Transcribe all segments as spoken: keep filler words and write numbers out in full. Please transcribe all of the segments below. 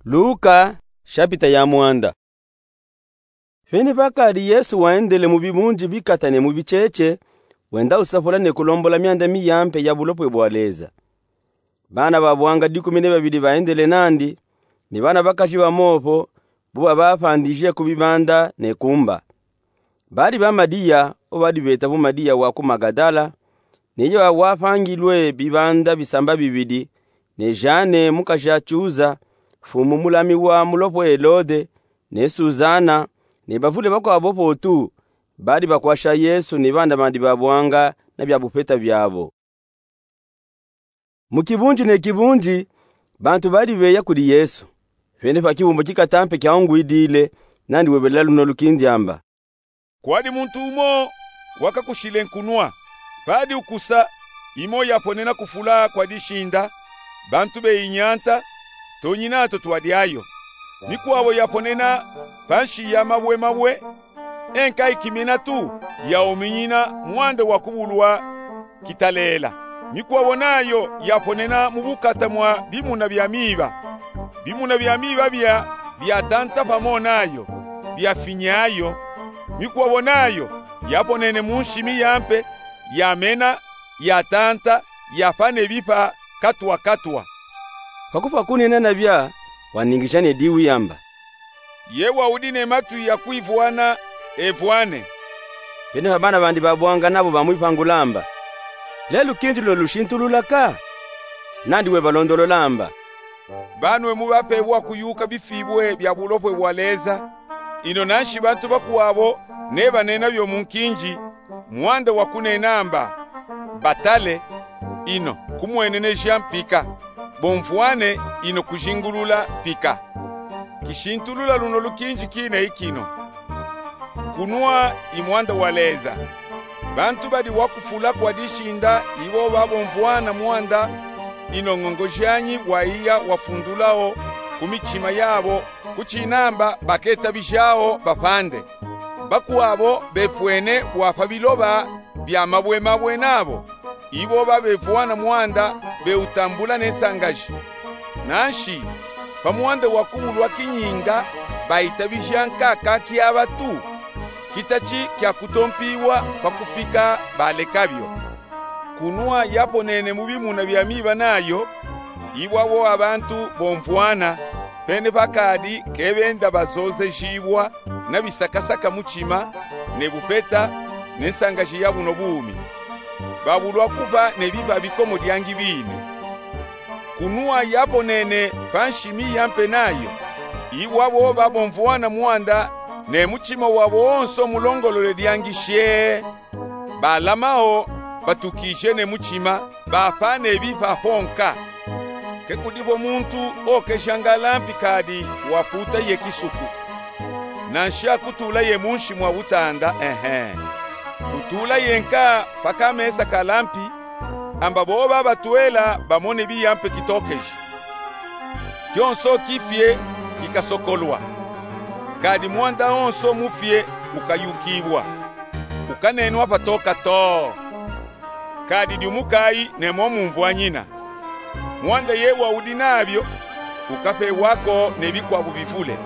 Luka, shapita ya mwanda. Venepa kadi Yesu wendele mu bibunji bikata ne mu bicheche, wenda usafula ne kulombola mianda miyampe ya bulopwe bwa Leza. Bana ba bwanga dikumi ne babidi baendele nandi, ni bana bakaji ba mopo, bo babafandije ku bibanda ne ku mba. Badi ba Madiya, o badi beta vo Madiya wa ku Magadala, ni yo wafangilwe bibanda bisamba bibidi, ne Jane mukaji a Chuza, mfumu mulami wa mulopwe Helode, ne Suzana, ne bavule bakwabo botu, badi bakwasha Yesu ni bana bandi ba bwanga na bia bupeta biabo. Mu kibunji ne kibunji, bantu badi beya kudi Yesu. Venepa kibumbu kikata mpe kiawungwidile, nandi webelela luno lukindi amba: Kwadi muntu umo wakakushile nkunwa. Padi ukusa, imo yaponena kufula kwa dishinda, bantu beyi nyanta, tonyinato twa diayo. Mikwabo yaponena panshi ya mabwe mabwe, e nka ikimina tu, yauminyina mwanda wa kubulwa kitalela. Mikwabo nayo yaponena mu bukata mwa bimuna bia miba. Bimuna bia miba bia, biatanta pamo nayo, biafinyayo. Mikwabo nayo yaponene mu nshi miyampe, yamena, yatanta, yapa ne bipa katwa katwa. Pakupwa kunena na bia, waningija ne diwu yamba: Ye waudi ne matwi ya kwivwana, evwane. Venepa bana bandi ba bwanga nabo bamwipangula amba: Lelu kindi luno lushintulula ka? Nandi webalondolola amba: Banwe mubapebwa kuyuka bifibwe bia bulopwe bwa Leza, ino nanshi bantu bakwabo nebanena bio mu nkinji, mwanda wa kunena amba: Batale, ino kumweneneja mpika. Bomvwane, ino kujingulula mpika. Kishintulula luno lukinji kina ikino: Kunwa i mwanda wa Leza. Bantu badi wakufula kwa dishinda ibo babomvwana mwanda, ino ngongo janyi waiya wafundulawo ku michima yabo, kuchinamba baketabijawo bapande. Bakwabo befwene wa pa biloba bia mabwe mabwe nabo, ibo babevwana mwanda beutambula ne nsangaji. Nanshi, pa mwanda wa kubulwa kinyinga, baitabija nkaka kiaba tu, kitachi kia kutompiwa pa kufika balekabio. Kunwa yaponene mu bimuna bia miba nayo, ibo abo abantu bomvwana, venepa kadi kebenda bazozejibwa na bisakasaka muchima, ne bupeta, ne nsangaji ya buno bumi. Babulwa kuba ne bipa bikomo diangi bine. Kunwa yaponene pa nshi miyampe nayo, ibo abo babomvwana mwanda, ne muchima wabo wonso mulongolole diangi shee. Balamawo batukije ne muchima, bapa ne bipa po nka. Ke kudibo muntu okejanga lampi kadi waputa ye kisuku, nanshi akutula ye munshi mwa butanda, ehe. Utula ye nka pa kamesa ka lampi, amba bo babatwela bamone biyampe kitokeji. Kionso kifie kikasokolwa, kadi mwanda wonso mufie ukayukibwa, ukanenwa patoka too. Kadi diumukayi ne mo mumvwanyina. Mwanda ye waudi nabio ukapewako ne bikwabo bivule.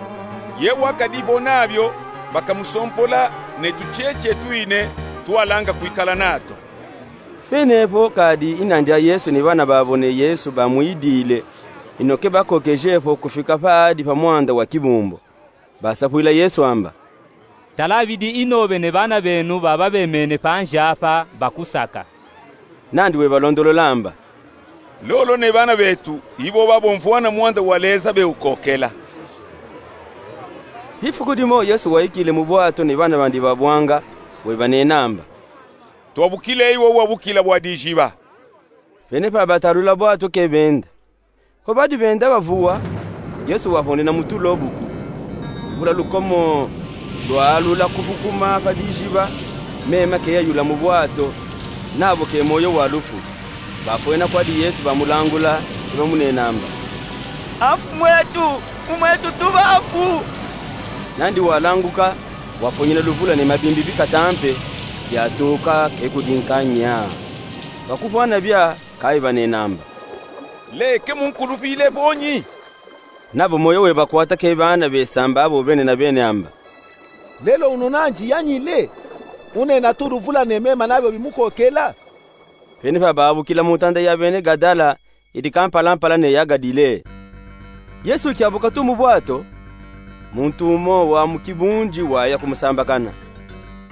Ye wakadibo nabio bakamusompola ne tucheche twine twalanga kwikala nato. Penepo kadi i nandi a Yesu ni bana babo ne Yesu bamwidile, ino kebakokeje po kufika padi pa mwanda wa kibumbu. Basapwila Yesu amba: Talabidi ino be ne bana benu baba bemene panji apa bakusaka. Nandi webalondolola amba: Lolo ne bana betu, ibo babomvwana mwanda wa Leza beukokela. Difuku dimo Yesu waikile mu bwato ne bana bandi ba bwanga, webanena amba: Twabukile iwo bwa bukila bwa dijiba. Bene pa batalula bwato ke benda. Ko badi benda bavuwa, Yesu wahonena mu tulo buku. Luvula lukomo lwalula kubukuma pa dijiba, mema ke yayula mu bwato, nabo ke moyo wa lufu. Bafwena kwadi Yesu bamulangula, ke bamunena amba: A Mfumu etu, Mfumu etu, tubafu! Nandi walanguka, wafonyina luvula ne mabimbi bikata mpe, byatuka ke kudinka nya. Bakuvwana bya, kayi banena amba: Leke munkulupile bonyi? Nabo moyo webakwata kee baana besamba abo bene na bene amba: Lelo unu nandi yanyile, unena tulu vula ne mema nabio bimukokela. Pene pa babukila mu ntanda ya bene Gadala, idi kampala-mpala ne ya Gadile. Yesu kiabuka tu mu bwato, muntu umo wa mu kibunji waya kumusambakana.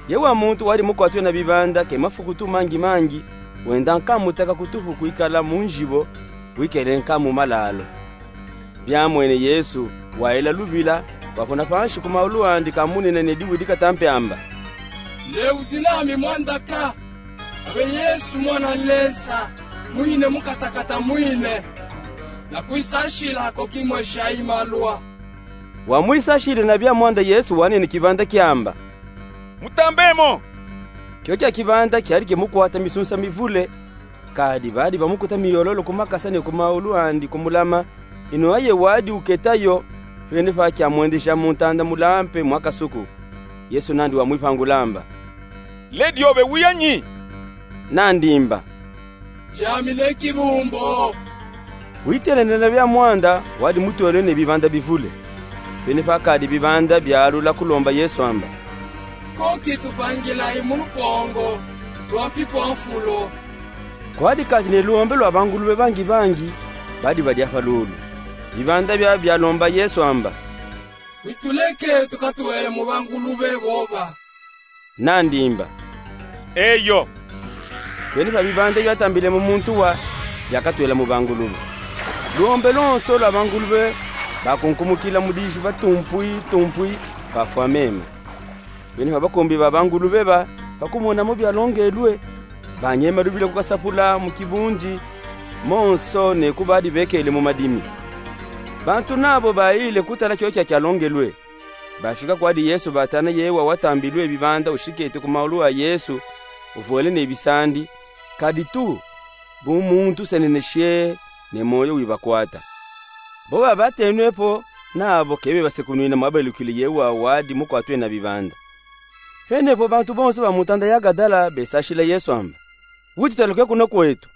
Ye wa muntu wadi mukwatwe na bibanda ke mafuku tu mangi-mangi, wenda nkamu teka kutufu kwikala mu nzibo, wikele nkamu malalo. Biamwene Yesu, wayila lubila, wakuna panshi ku maulu andi kamunina ne diwidi katampe amba: Lewudi nami mwanda ka, abe Yesu mwana Lesa, mwine mukatakata mwine, nakwisashila ko kimwesha imalwa. Wamwisashile na bia mwanda Yesu wanene kibanda kiamba: Mutambemo! Kio kia kibanda kiadi kimukwata misunsa mivule, kadi badi bamukuta miyololo ku makasa ne ku maulu andi kumulama, inu aye wadi uketa yo, pene pa kiamwendesha mu ntanda mulampe mwa kasuku. Yesu nandi wamwipangula amba: Ledi obe wiya nyi? Nandi mba: Jami ne kibumbo. Witelene na bia mwanda, wadi mutwele ne bibanda bivule. Pene pa kadi bibanda bialula kulomba Yesu amba: Ko kituvangilayi mu lupongo lwa mpipo a nfulo. Kwadi kadi ne luombe lwa bangulube bangi-bangi, badi badia pa lulu. Bibanda bia bialomba Yesu amba: Wituleke tukatwele mu bangulube boba. Nandi mba: Eyo. Pene pa bibanda biatambile mu muntu wa, biakatwela mu bangulube. Luombe lonso lwa bangulube bakunkumukila mu diziba tumpwi-tumpwi, bafwa mema. Pene pa bakumbi ba bangulube ba, pa kumona mo bialongelwe, banyema lubila kukasapula mu kibunji, monso ne ku badi bekele mu madimi. Bantu nabo bayile kutala kio kia kialongelwe. Bafika kwadi Yesu batana ye wa watambilwe bibanda ushikete ku maulu a Yesu, uvwele ne bisandi, kadi tu, bu muntu useneneshe ne moyo wibakwata. Boba batenwe po, nabo ke bebasekunwina mwabelukile ye wa wadi mukwatwe na bibanda. Pene po bantu bonso ba mu ntanda ya Gadala besashila Yesu amba: Wudi twaluke kuno kwetu,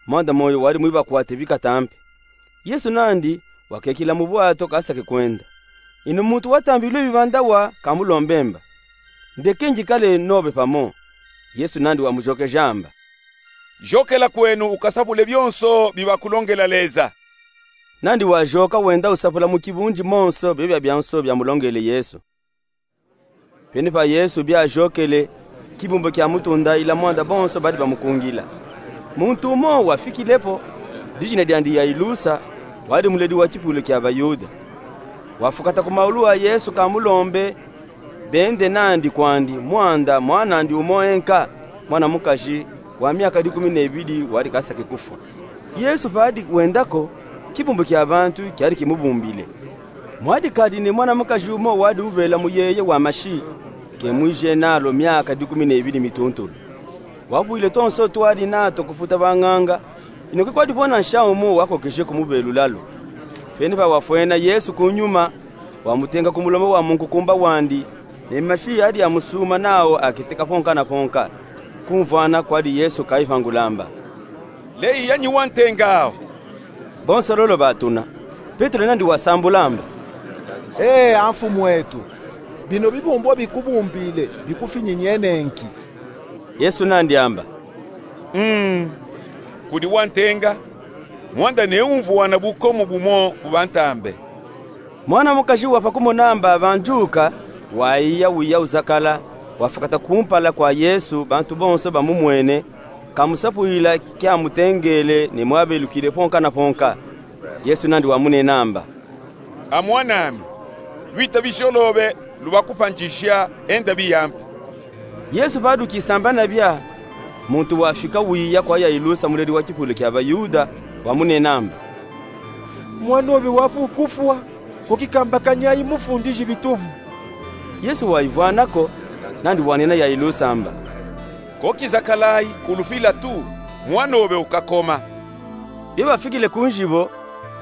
mwanda moyo wadi mwibakwate bikatampe. Yesu nandi wakekila mu bwato kasake kwenda. Inu muntu watambilwe bibanda wa kamulombe mba: Ndeke ndikale nobe pamo. Yesu nandi wamujokeja amba: Jokela kwenu ukasapule bionso bibakulongela Leza. Nandi wajoka wenda usapula mu kibunji monso bio bia bionso biamulongele Yesu. Pene pa Yesu biajokele, kibumbu kiamutunda ila mwanda bonso badi bamukungila. Muntu umo wafikile po, dijina diandi Yailusa, wadi muledi wa kipulu kia Bayuda. Wafukata ku maulu a Yesu kamulombe bende nandi kwandi mwanda mwan'andi umo enka, mwana mukaji wa miaka dikumi nebidi wadi kasake kufwa. Yesu padi wenda ko, kibumbu kia bantu kiadi kimubumbile. Mwadi kadi ni mwana mukaji umo wadi ubela muyeye wa mashi, ke mwije nalo miaka dikumi nebidi mituntulu. Wabwile tonso twadi nato kufuta banganga, inu ke kwadi pona nsha umo wakokeje kumubelula lo. Pene pa wafwena Yesu ku nyuma, wamutenga ku mulomba wa munkukumba wandi, ne mashi adi amusuma nao akiteka ponka na ponka. Kumvwana kwadi Yesu kaivangula amba: Leyi yanyi wantenga awo? Bonso lolo batuna. Petelo nandi wasambula amba: Ee, a Mfumu eto, bino bibumbu bikubumbile bikufinyinye nenki? Yesu nandi amba: Mm, kudi wantenga, mwanda neumvwana bukomo bumo bubantambe. Mwana mukaji wa pa kumona amba banjuka, waiya wiya uzakala, wafukata kumpala kwa Yesu, bantu bonso bamumwene, kamusapwila kiamutengele ne mwabelukile ponka na ponka. Yesu nandi wamunena amba: A mwan'ami, lwita bijolobe, lubakupanjisha, enda biyampi. Yesu padi ukisamba na bia, muntu wafika wiya kwa Yailusa muledi wa kipulu kia Bayuda, wamunena amba: Mwan'obe wapu kufwa, ko kikambakanyayi mufundiji bitubu. Yesu waivwana ko, nandi wanena Yailusa amba: Ko kizakalayi, kulupila tu, mwan'obe ukakoma. Bio bafikile ku nzibo,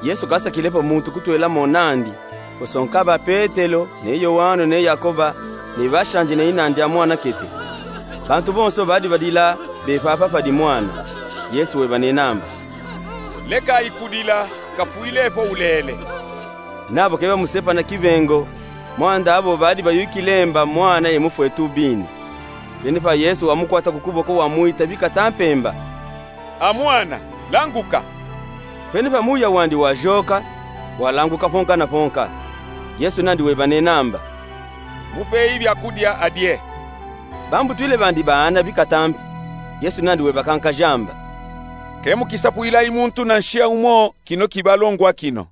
Yesu kasakile po muntu kutwela mo nandi, posonka ba Petelo, ne Yoano, ne Yakoba, ne bashanje ne inandi a mwanakete. Bantu bonso badi badila bepapa padi mwana. Yesu webanena amba: Lekayi kudila, kafwile po ulele. Nabo ke bamusepa na kibengo, mwanda abo badi bayukilemba mwana ye mufwe tubini. Penipa Yesu wamukwata ku kuboko, wamwita bikata mpemba: A mwana, languka! Penipa muya wandi wajoka, walanguka ponka na ponka. Yesu nandi weba nenamba: Mupeyi byakudya adye. Bambutwile bandi baana bikata mpe. Yesu nandi weba kankaja amba: Ke mukisapwilayi muntu na nshiya umo kino kibalongwa kino.